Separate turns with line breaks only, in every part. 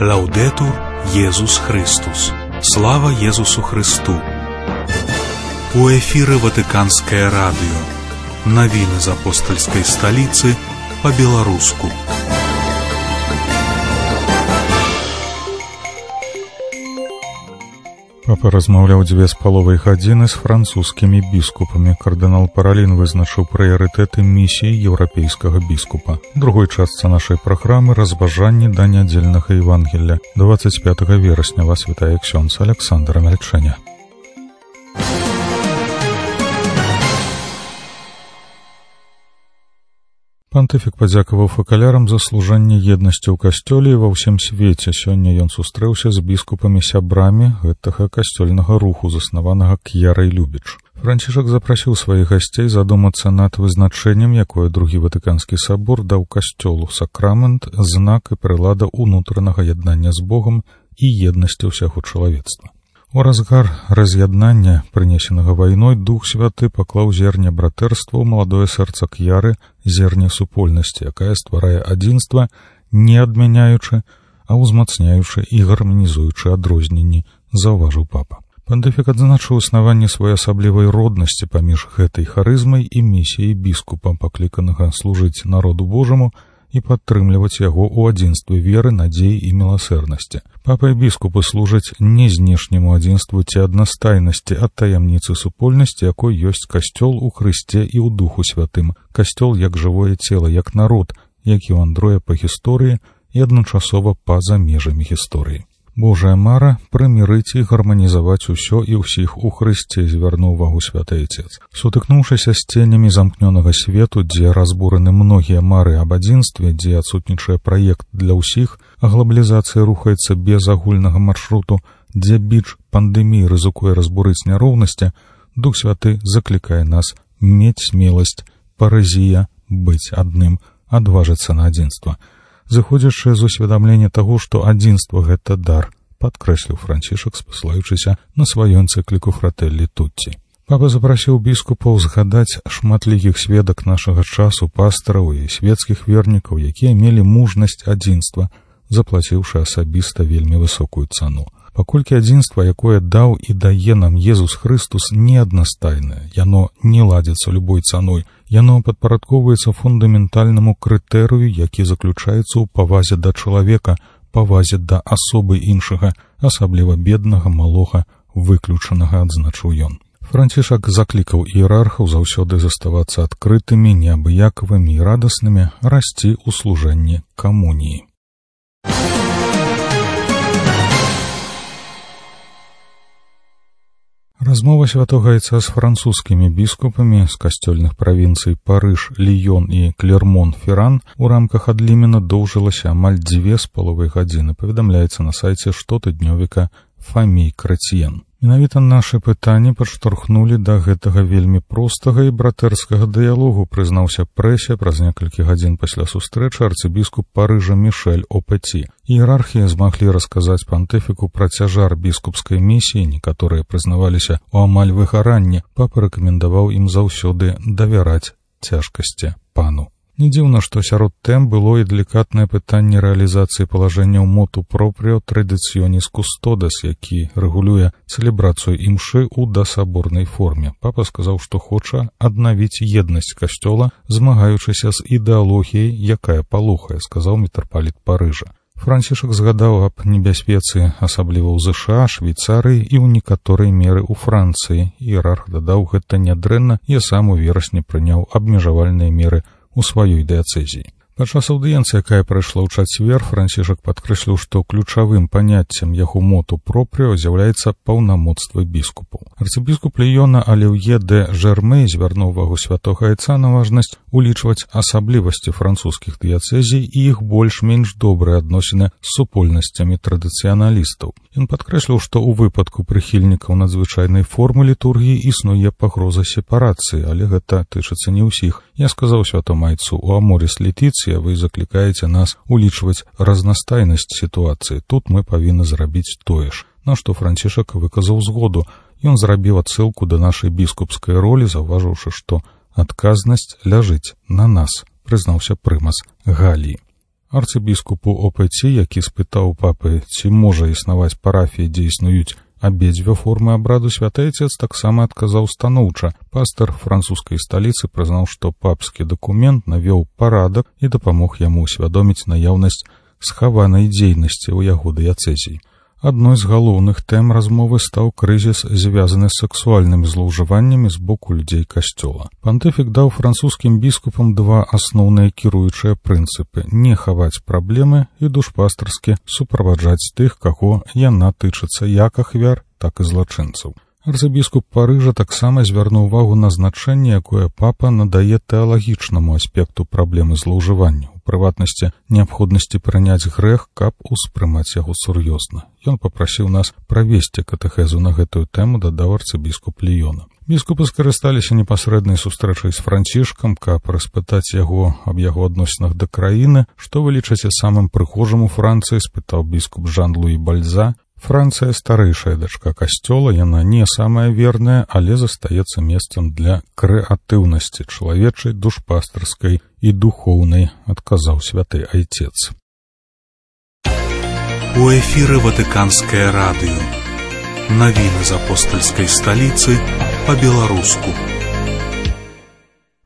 Лаудетур Єсус Христос. Слава Єсусу Христу. У эфиры Ватиканское радио. Новины из апостольской столицы по-белорусски.
Папа размаўляў 2,5 гадзіны з французскімі біскупамі. Кардынал Паралін вызначыў прыярытэты місіі еўрапейскага біскупа. У другой частцы нашай праграмы разважанні да нядзельнага Евангелля. 25 верасня вас вітае ксёндз Александр Амельчэня. Пантыфік падзякаваў факалярам за служанне еднасці ў касцёле і ва ўсім свеце. Сёння ён сустрэўся з біскупамі-сябрамі гэтага касцёльнага руху, заснаванага К'ярай Любіч. Францішак запрасіў сваіх гасцей задумацца над вызначэннем, якое другі Ватыканскі сабор даў касцёлу: сакрамент, знак і прылада ўнутранага яднання з Богам і еднасці ўсяго чалавецтва. У разгар раз'яднання, прынесенага вайной, Дух Святы паклаў зерне братэрства ў маладое сэрца К'яры, зерне супольнасці, якая стварае адзінства, не адмяняючы, а ўзмацняючы і гарманізуючы адрозненні, заўважыў папа. Пантыфік адзначыў існаванне своеасаблівай роднасці паміж гэтай харызмай і місіяй біскупа, пакліканага служыць народу Божаму і падтрымліваць яго ў адзінстве веры, надзеі і міласэрнасці. Папа і біскупы служаць не знешняму адзінству ці аднастайнасці, а таямніцы супольнасці, якой ёсць касцёл у Хрысце і ў Духу Святым. Касцёл як жывое цела, як народ, які вандруе па гісторыі і адначасова па-за межамі гісторыі. Божая мара прымірыць і гарманізаваць усё і ўсіх у Хрысце, звярнуў увагу святы Айцец. Сутыкнуўшыся з ценямі замкнёнага свету, дзе разбураны многія мары аб адзінстве, дзе адсутнічае праект для ўсіх, а глабалізацыя рухаецца без агульнага маршруту, дзе біч пандэміі рызыкуе разбурыць няроўнасці, Дух Святы заклікае нас мець смеласць, паразія, быць адным, адважыцца на адзінства. Зыходзячы з усведамлення таго, што адзінства — гэта дар, падкрэсліў Францішак, спасылаючыся на сваю энцыкліку «Фрателлі Тутці». Папа запрасіў біскупаў згадаць шматлікіх сведак нашага часу, пастараў і свецкіх вернікаў, якія мелі мужнасць адзінства, заплаціўшы асабіста вельмі высокую цану. Паколькі адзінства, якое даў і дае нам Езус Христос, не аднастайнае, яно не ладзіцца любой цаной, яно падпарадкоўваецца фундаментальнаму крытэрыю, які заключаецца ў павазе да чалавека, павазе да асобы іншага, асабліва беднага, малога, выключанага, адзначыў ён. Францішак заклікаў іерархаў заўсёды заставацца адкрытымі, неабыякавымі і радаснымі, расці ў служэнні камуніі. Размова святога Айца з французскімі біскупамі з касцёльных правінцый Парыж, Ліён і Клермон-Ферран у рамках адлімена доўжылася амаль 2,5 гадзіны, паведамляецца на сайце штотыднёвіка Фамій Крэцьен. Менавіта нашы пытанні падштурхнулі да гэтага вельмі простага і братэрскага дыялогу, прызнаўся прэсе праз некалькі гадзін пасля сустрэчы арцыбіскуп Парыжа Мішэль Опеці. Іерархія змаглі расказаць пантыфіку пра цяжар біскупскай місіі, некаторыя прызнаваліся ў амаль выгаранні. Папа рэкамендаваў ім заўсёды давяраць цяжкасці пану. Не дзіўна, што сярод тэм было і далікатнае пытанне рэалізацыі палажэнняў моту пропріо традыцыёніс кустодас, які рэгулюе цэлебрацыю імшы ў дасаборнай форме. Папа сказаў, што хоча аднавіць еднасць касцёла, змагаючыся з ідэалогіяй, якая палохае, сказаў мітрапаліт Парыжа. Францішак згадаў аб небяспецы, асабліва ў ЗША, Швейцарыі і ў некаторай меры ў Францыі. Іерарх дадаў, гэта нядрэнна, і сам у верасні прыняў абмежавальныя меры у сваёй дыяцэзіі. Падчас аўдыенцыі, якая прайшла ў чацвер, Францішак падкрэсліў, што ключавым паняццем яго моту пропріо з'яўляецца паўнамоцтва біскупаў. Арцыбіскуп Ліёна Аліўе де Жермей звярнуў увагу святога Айца на важнасць улічваць асаблівасці французскіх дыяцэзій і іх больш-менш добрыя адносіны з супольнасцямі традыцыяналістаў. Ён падкрэсліў, што ў выпадку прыхільнікаў надзвычайнай формы літургіі існуе пагроза сепарацыі, але гэта тычыцца не ўсіх. Я сказаў святому Айцу: у Аморіс Летіцыя вы заклікаеце нас улічваць разнастайнасць сітуацыі. Тут мы павінны зрабіць тое ж. На што Францішак выказаў згоду. Ён зрабіў адсылку да нашай біскупскай ролі, заўважыўшы, што адказнасць ляжыць на нас, прызнаўся прымас Галіі. Арцыбіскупу Опеці, які спытаў папы, ці можа існаваць парафія, дзе існуюць абедзве формы абраду, святы Айцец таксама адказаў станоўча. Пастар французскай сталіцы прызнаў, што папскі дакумент навёў парадак і дапамог яму усвядоміць наяўнасць схаванай дзейнасці ў яго дыяцэзіі. Адной з галоўных тэм размовы стаў крызіс, звязаны з сексуальнымі злоўжываннямі з боку людзей касцёла. Пантыфік даў французскім біскупам два асноўныя кіруючыя прынцыпы: не хаваць праблемы і душпастарскі суправаджаць тых, каго яна тычыцца, як ахвяр, так і злачынцаў. Арцыбіскуп Парыжа таксама звярнуў увагу на значэнне, якое папа надае тэалагічнаму аспекту праблемы злоўжывання, у прыватнасці неабходнасці прыняць грэх, каб успрымаць яго сур'ёзна. Ён папрасіў нас правесці катэхезу на гэтую тэму, дадаў арцыбіскуп Ліёна. Біскупы скарысталіся непасрэднай сустрэчай з Францішкам, каб распытаць яго аб яго адносінах да краіны. Што вы лічыце самым прыгожым у Францыі, спытаў біскуп Жан-Луі Бальза. Францыя старэйшая дачка касцёла, яна не самая верная, але застаецца месцам для крэатыўнасці чалавечай, душпастарскай і духоўнай, адказаў святы Айцец.
У эфіры Ватыканскае радыё. Навіны з апостальскай сталіцы па-беларуску.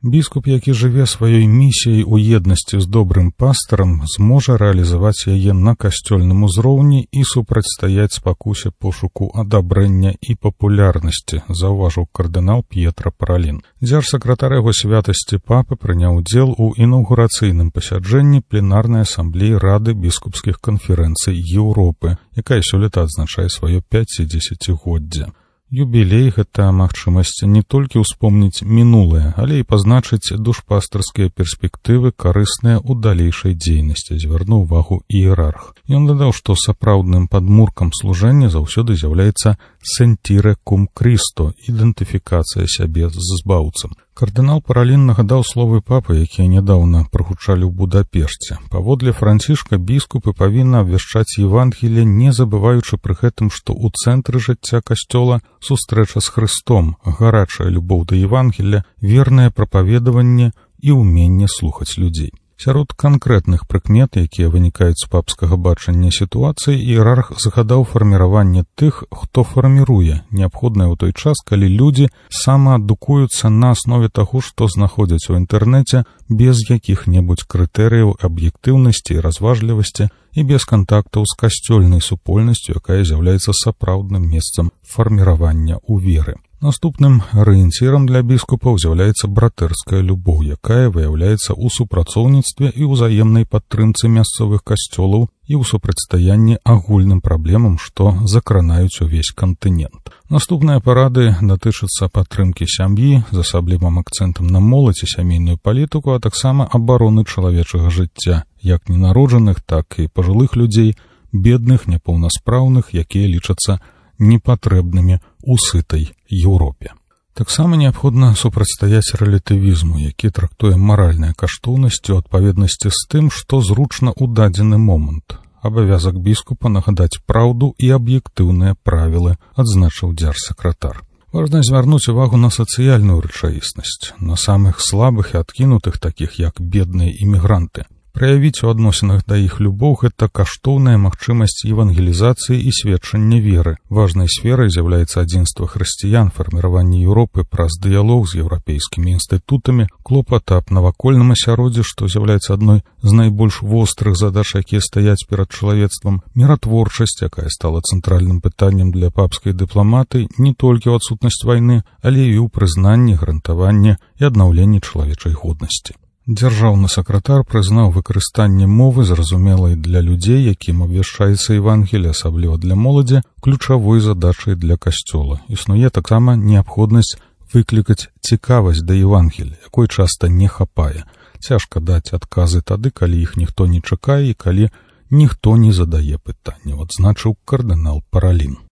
Біскуп, які жыве сваёй місіяй у еднасці з добрым пастарам, зможа рэалізаваць яе на касцёльным узроўні і супрацьстаяць спакусе пошуку адабрэння і папулярнасці, заўважыў кардынал П'етра Паралін. Дзяржсакратар яго святасці папы прыняў удзел у інаўгурацыйным пасяджэнні пленарнай асамблеі Рады біскупскіх канферэнцый Еўропы, якая сёлета адзначае сваё 50-годдзе. Юбілей — гэта магчымасць не толькі ўспомніць мінулае, але і пазначыць душпастарскія перспектывы, карысныя ў далейшай дзейнасці, звярнуў увагу іерарх. Ён дадаў, што сапраўдным падмуркам служэння заўсёды з'яўляецца сентіре кум Крісто, ідэнтыфікацыя сябе з збаўцам. Кардынал Паралін нагадаў словы папы, якія нядаўна прагучалі ў Будапешце. Паводле Францішка, біскупы павінны абвяшчаць Евангелие, не забываючы пры гэтым, што ў цэнтры жыцця касцёла сустрэча з Хрыстом, гарачая любоў да Евангелия, вернае прапаведаванне і ўменне слухаць людзей. Сярод канкрэтных прыкмет, якія вынікаюць з папскага бачання сітуацыі, іерарх загадаў фарміраванне тых, хто фарміруе, неабходнае ў той час, калі людзі самаадукуюцца на аснове таго, што знаходзяць у інтэрнэце, без якіх-небудзь крытэрыяў аб'ектыўнасці і разважлівасці і без кантактаў з касцёльнай супольнасцю, якая з'яўляецца сапраўдным месцам фарміравання ў веры. Наступным арыенцірам для біскупаў з'яўляецца братэрская любоў, якая выяўляецца ў супрацоўніцтве і ўзаемнай падтрымцы мясцовых касцёлаў і ў супрацьстаянні агульным праблемам, што закранаюць увесь кантынент. Наступныя парады датычацца падтрымкі сям'і з асаблівым акцэнтам на моладзь і сямейную палітыку, а таксама абароны чалавечага жыцця, як ненароджаных, так і пажылых людзей, бедных, няпоўнаспраўных, якія лічацца непатрэбнымі ў сытай Еўропе. Таксама неабходна супрацьстаяць рэлятывізму, які трактуе маральныя каштоўнасці ў адпаведнасці з тым, што зручна ў дадзены момант. Абавязак біскупа нагадаць праўду і аб'ектыўныя правілы, адзначыў дзяржсакратар. Важна звярнуць увагу на сацыяльную рэчаіснасць, на самых слабых і адкінутых, такіх як бедныя імігранты. Праявіць у адносінах да іх любоў — гэта каштоўная магчымасць евангелізацыі і сведчання веры. Важнай сферай з'яўляецца адзінства хрысціян, фарміраванне Еўропы праз дыялог з еўрапейскімі інстытутамі, клопат аб навакольным асяроддзі, што з'яўляецца адной з найбольш вострых задач, якія стаяць перад чалавецтвам, міратворчасць, якая стала цэнтральным пытаннем для папскай дыпламатыі не толькі ў адсутнасць вайны, але і ў прызнанні, гарантаванні і аднаўленні чалавечай годнасці. Дзяржаўны сакратар прызнаў выкарыстанне мовы, зразумелай для людзей, якім абвяшчаецца Евангелие, асабліва для моладзі, ключавой задачай для касцёла. Існуе таксама неабходнасць выклікаць цікавасць да Евангелия, якой часта не хапае. Цяжка даць адказы тады, калі іх ніхто не чакае і калі ніхто не задае пытанняў, адзначыў кардынал Паралін.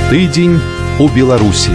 Тыдзень у Беларусі.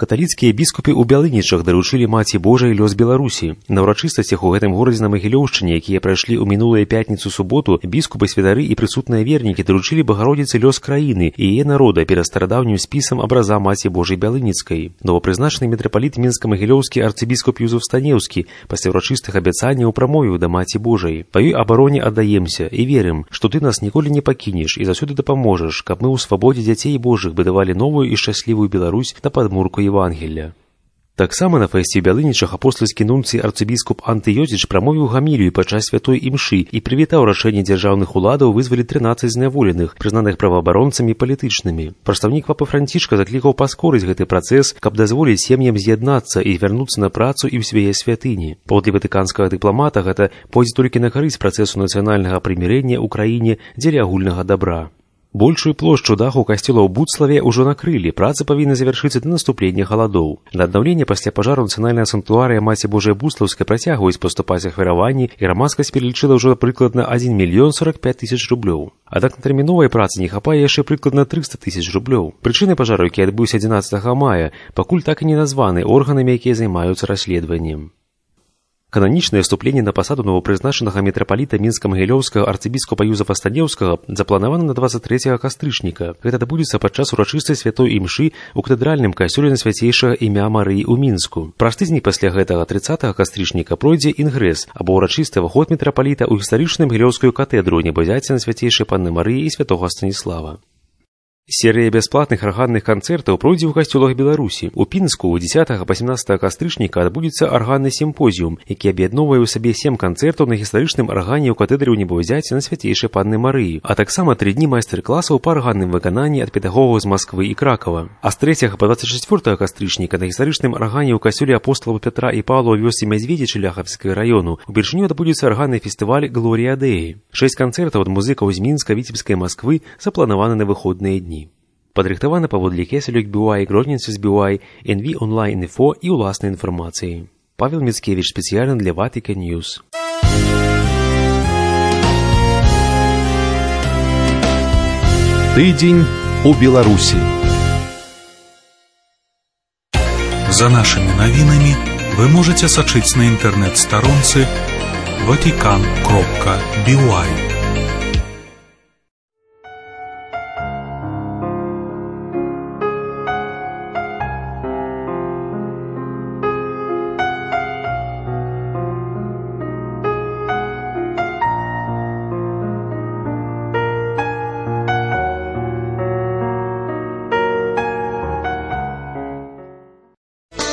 Каталіцкія біскупы ў Бялынічах даручылі Маці Божай лёс Беларусі. На ўрачыстасцях у гэтым горадзе на Магілёўшчыне, якія прайшлі ў мінулую пятніцу-суботу, біскупы, святары і прысутныя вернікі даручылі Багародзіцы лёс краіны і яе народа перад старадаўнім спісам абраза Маці Божай Бялыніцкай. Новапрызначаны мітрапаліт мінска-магілёўскі арцыбіскуп Юзеф Станеўскі пасля ўрачыстых абяцанняў прамовіў да Маці Божай: «Па ёй абароне аддаемся і верым, што ты нас ніколі не пакінеш і заўсёды дапаможаш, каб мы ў свабодзе дзяцей Божых будавалі новую і шчаслівую Беларусь на падмурку Евангелля». Таксама на фэсце ў Бялынічах апостальскі нунцый арцыбіскуп Антыёзіч прамовіў гамілію падчас святой імшы і прывітаў рашэнне дзяржаўных уладаў вызваліць 13 зняволеных, прызнаных праваабаронцамі палітычнымі. Прадстаўнік папы Францішка заклікаў паскорыць гэты працэс, каб дазволіць сем'ям з'яднацца і вярнуцца на працу і ў свае святыні. Паводле ватыканскага дыпламата гэта пойдзе толькі на карысць працэсу нацыянальнага прымірэння ў краіне дзеля агульнага дабра. Большую плошчу даху касцёла ў Буцлаве ўжо накрылі, працы павінны завяршыцца да наступлення халадоў. На аднаўленне пасля пажару нацыянальная санктуарыя Маці Божай Буслаўскай працягваюць паступаць ахвяраванні, і грамадскасць пералічыла ўжо прыкладна 1 мільён 45 тысяч рублёў. Аднак на тэрміновай працы не хапае яшчэ прыкладна 300 тысяч рублёў. Прычыны пажару, які адбыўся 11 мая, пакуль так і не названы органамі, якія займаюцца расследаваннем. Кананічнае ўступленне на пасаду новапрызначанага мітрапаліта мінска-магілёўскага арцыбіскупа Юзефа Станеўскага запланавана на 23 кастрычніка. Гэта адбудзецца падчас урачыстай святой імшы ў катэдральным касцёле на свяцейшага імя Марыі ў Мінску. Праз тыдзень пасля гэтага 30 кастрычніка пройдзе інгрэс або ўрачысты ўваход мітрапаліта ў гістарычную магілёўскую катэдру Небазяці на свяцейшай Панны Марыі і святога Станіслава. Серыя бясплатных арганных канцэртаў пройдзе ў касцёлах Беларусі. У Пінску ў 10 па 17 кастрычніка адбудзецца арганны сімпозіум, які аб'ядноўвае ў сабе 7 канцэртаў на гістарычным аргане ў катэдры ў Небазяці на свяцейшай Панны Марыі, а таксама 3 дні майстар-класаў па арганным выкананні ад педагогаў з Масквы і Кракава. А з 3 па 24 кастрычніка на гістарычным аргане ў касцёле апосталаў Пятра і Паўла ў вёсцы Мядзведзічы Ляхавскага раёну упершыню адбудзецца арганны фестываль «Глорія Дэі». 6 канцэртаў ад музыкаў з Мінска, Віцебскай, Масквы запланаваны на выходныя дні. Падрыхтавана паводле Кесалюк BY, Гродненцис BY, NV Online Info і ўласнай інфармацыі. Павел Міцкевіч спецыяльна для Vatican News.
Тыдзень у Беларусі.
За нашими навінамі вы можете сачыць на інтэрнэт-старонцы vatican.by.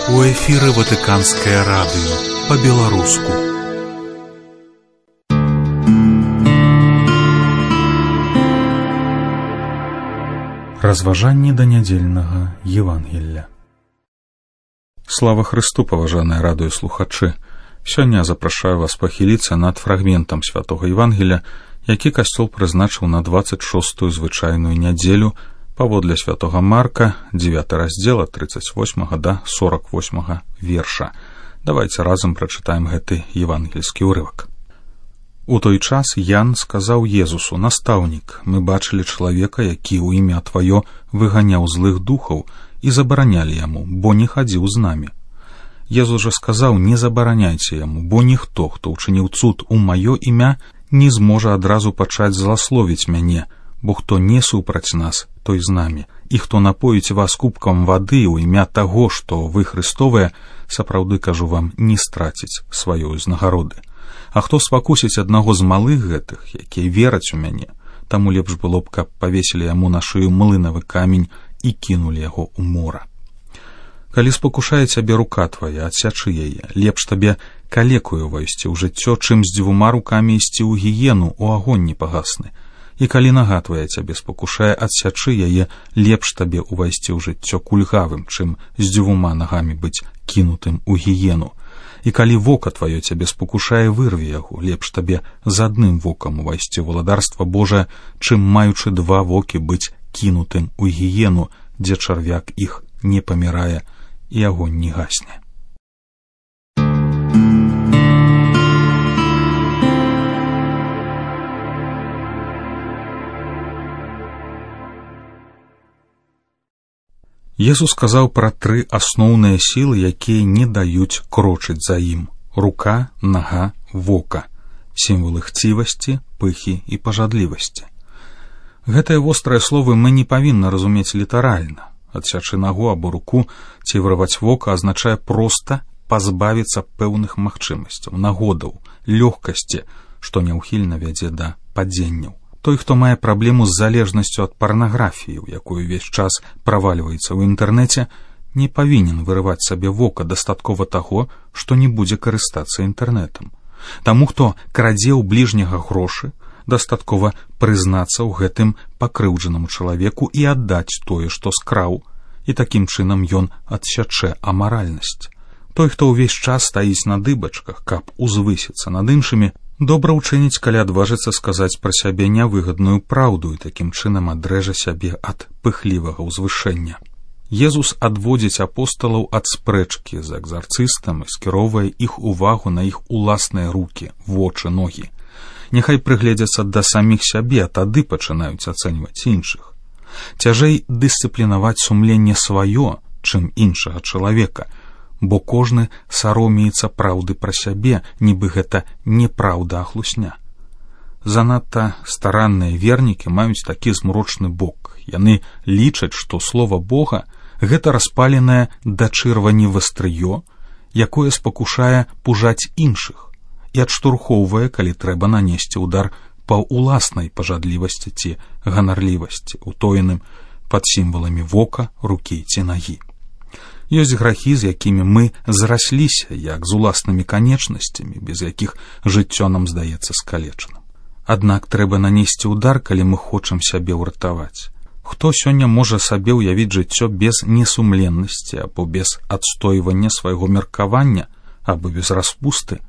У эфіры Ватыканскае радыё па-беларуску.
Разважанні да нядзельнага Евангелля. Слава Христу, паважаныя радыёслухачы! Сёння запрашаю вас пахіліцца над фрагментам святога Евангелля, які касцёл прызначыў на 26-ю звычайную нядзелю паводле святога Марка, 9 раздзела 38 да 48 верша. Давайте разам прачытаем гэты евангельскі ўрывак. У той час Ян сказаў Езусу: «Настаўнік, мы бачылі чалавека, які ў імя Тваё выганяў злых духаў, і забаранялі яму, бо не хадзіў з намі». Езус жа сказаў: «Не забараняйце яму, бо ніхто, хто ўчыніў цуд у маё імя, не зможа адразу пачаць зласловіць мяне, бо хто не супраць нас, той з намі. І хто напоіць вас кубкам вады ў імя таго, што вы Христовыя, сапраўды кажу вам, не страціць сваёй узнагароды. А хто спакусіць аднаго з малых гэтых, якія вераць у мяне, таму лепш было б, каб павесілі яму на шыю млынавы камень і кінулі яго ў мора. Калі спакушае цябе рука твая, адсячы яе, лепш табе калекую ўвайсці ў жыццё, чым з 2 рукамі ісці ў гіену, у агонь непагасны. І калі нага твая цябе спакушае, адсячы яе, лепш табе ўвайсці ў жыццё кульгавым, чым з 2 нагамі быць кінутым у гіену. І калі вока тваё цябе спакушае, вырві яго, лепш табе з 1 вокам увайсці ў валадарства Божае, чым маючы 2 вокі быць кінутым у гіену, дзе чарвяк іх не памірае і агонь не гасне.
Езус сказаў пра 3 асноўныя сілы, якія не даюць крочыць за ім: рука, нага, вока, сімвалы хцівасці, пыхі і пажадлівасці. Гэтыя вострыя словы мы не павінны разумець літаральна. Адсячы нагу або руку ці вырваць вока азначае проста пазбавіцца пэўных магчымасцяў, нагодаў, лёгкасці, што няўхільна вядзе да падзенняў. Той, хто мае праблему з залежнасцю ад парнаграфіі, у якую ўвесь час правальваецца ў інтэрнэце, не павінен вырываць сабе вока, дастаткова таго, што не будзе карыстацца інтэрнэтам. Таму, хто крадзе ў бліжняга грошы, дастаткова прызнацца ў гэтым пакрыўджанаму чалавеку і аддаць тое, што скраў, і такім чынам ён адсячэ амаральнасць. Той, хто ўвесь час стаіць на дыбачках, каб узвысіцца над іншымі, добра ўчыніць, калі адважыцца сказаць пра сябе нявыгадную праўду і такім чынам адрэжа сябе ад пыхлівага ўзвышэння. Езус адводзіць апосталаў ад спрэчкі з экзарцыстам і скіроўвае іх увагу на іх уласныя рукі, вочы, ногі. Няхай прыгледзяцца да саміх сябе, а тады пачынаюць ацэньваць іншых. Цяжэй дысцыплінаваць сумленне сваё, чым іншага чалавека, бо кожны саромеецца праўды пра сябе, нібы гэта неправда, а хлусня. Занадта старанныя вернікі маюць такі змрочны бок. Яны лічаць, што слова Бога — гэта распаленае да чырвані вастрыё, якое спакушае пужаць іншых і адштурхоўвае, калі трэба нанесці ўдар па ўласнай пажадлівасці ці ганарлівасці, утоеным пад сімваламі вока, рукі ці нагі. Ёсць грахі, з якімі мы зарасліся, як з уласнымі канечнасцямі, без якіх жыццё нам здаецца скалечаным. Аднак трэба нанесці ўдар, калі мы хочам сябе ўратаваць. Хто сёння можа сабе ўявіць жыццё без несумленнасці або без адстойвання свайго меркавання або без распусты?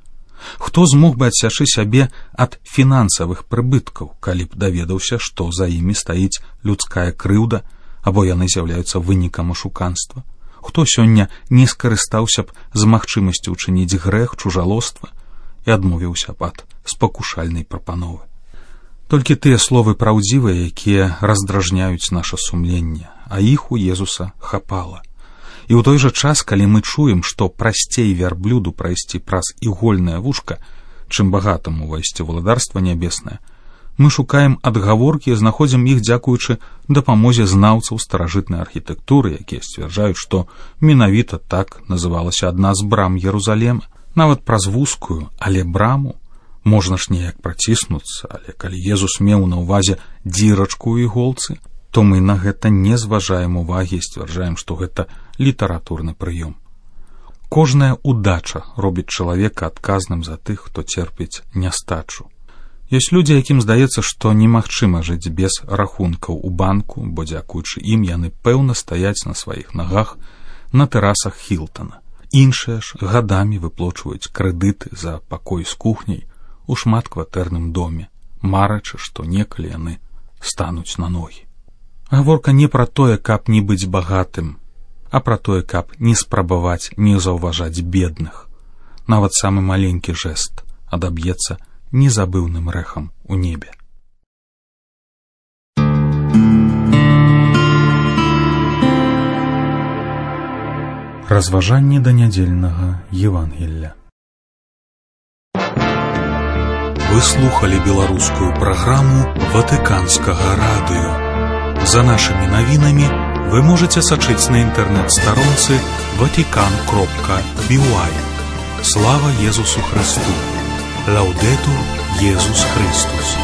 Хто змог бы адсячы сябе ад фінансавых прыбыткаў, калі б даведаўся, што за імі стаіць людская крыўда або яны з'яўляюцца вынікам ашуканства? Хто сёння не скарыстаўся б з магчымасцю ўчыніць грэх, чужалоства і адмовіўся б ад спакушальнай прапановы? Толькі тыя словы праўдзівыя, якія раздражняюць наша сумленне, а іх у Езуса хапала. І ў той жа час, калі мы чуем, што прасцей вярблюду прайсці праз ігольнае вушка, чым багатаму ўвайсці ў валадарства нябеснае, мы шукаем адгаворкі і знаходзім іх дзякуючы дапамозе знаўцаў старажытнай архітэктуры, якія сцвярджаюць, што менавіта так называлася адна з брам Ерузалема. Нават праз вузкую, але браму можна ж неяк праціснуцца, але калі Езус меў на ўвазе дзірачку ў іголцы, то мы на гэта не зважаем увагі і сцвярджаем, што гэта літаратурны прыём. Кожная удача робіць чалавека адказным за тых, хто церпіць нястачу. Ёсць людзі, якім здаецца, што немагчыма жыць без рахункаў у банку, бо дзякуючы ім яны пэўна стаяць на сваіх нагах на тэрасах Хілтана. Іншыя ж гадамі выплочваюць крэдыты за пакой з кухняй у шматкватэрным доме, марачы, што некалі яны стануць на ногі. Гаворка не пра тое, каб не быць багатым, а пра тое, каб не спрабаваць не заўважаць бедных. Нават самы маленькі жэст адаб'ецца незабыўным рэхам у небе. Разважанне да нядзельнага Евангелля. Вы слухали беларускую праграму Ватыканскага радыё. За нашымі навінамі вы можаце сачыць на інтэрнэт-старонцы vatican.by. Слава Езусу Христу! Лаудетур Иисус Христос.